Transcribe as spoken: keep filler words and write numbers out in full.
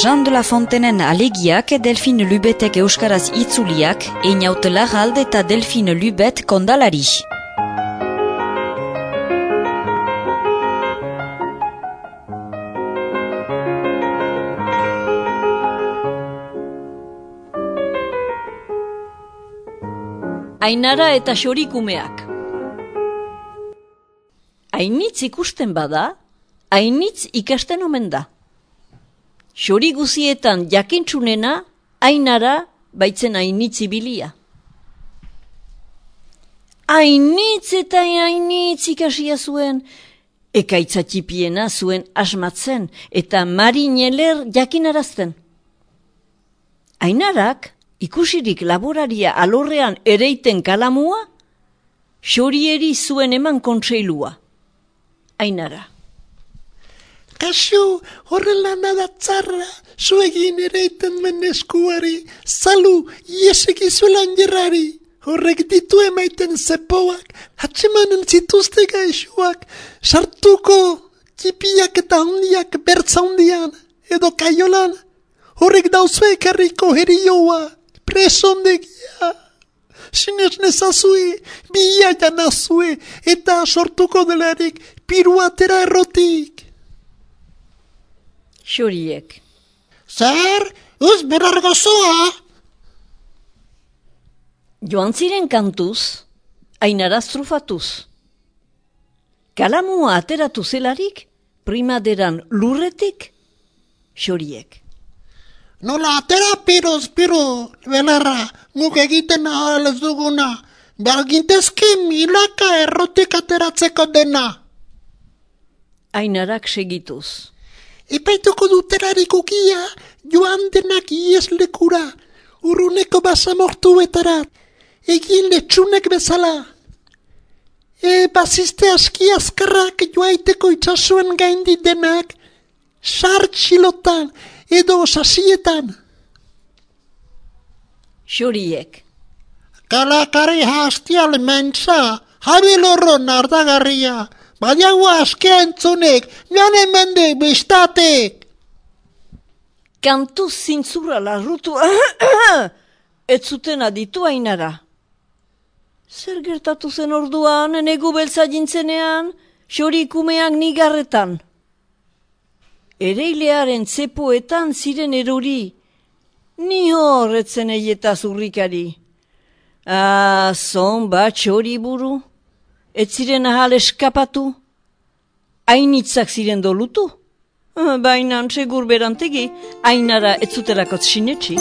Jean de la Fontenen alegiak Delphine Lubetek euskaraz itzuliak, Einaut Larralde eta Delphine Lubet kondalari. Ainara eta xorikumeak. Ainitz ikusten bada, ainitz ikasten omen da. Xori guzietan jakintxunena, Ainara baitzen ainitz ibilia. Ainitz eta ainitz ikasia zuen, ekaitzatipiena zuen asmatzen eta marineler jakinarazten. Ainarak, ikusirik laboraria alorrean ereiten kalamua, xorieri zuen eman kontseilua. Ainara. Kasu, horrela nada tzarra, zuegin ereiten men eskuari, zalu, ieseki zuelan jerrari. Horrek ditu emaiten zepoak, hatsemanen zituzte gaixoak, sartuko txipiak eta handiak bertza handian, edo kaiolan, horrek dauzue ekarriko herioa, presondegia. Sinez nezazue, bia janazue, eta sortuko delarik piruatera errotik. Xoriek. Zer, uz berar gozoa? Joan ziren kantuz, Ainara strufatuz. Kalamua ateratu zelarik, primaderan lurretik, xoriek. Nola atera piroz, piro, belarra, guk egiten ahal ez duguna, bergintezki milaka errotik ateratzeko dena. Ainarak segituz. Epaituko duterarik ukia, joan denak ieslekura, urruneko basamortu betarat, egin letxunek bezala. E bazizte aski azkarrak joaiteko itxasuen gaindi denak, sartxilotan edo sasietan. Xoriek. Kalakari hastial mentza, jabilorro nardagarria, badiagoa askea entzunek, joan emende bestatek. Kantuz zintzura larrutu, ez zuten aditu Ainara. Zer gertatu zen orduan, negu beltza jintzenean, xorikumeak nigarretan. Ereilearen zepoetan ziren erori, ni horretzen eieta zurrikari. Ah, zon bat xori buru, ez ziren ahal eskapatu, ainitzak ziren dolutu. Baina segur berantegi, Ainara ez zuterakot sinetxi.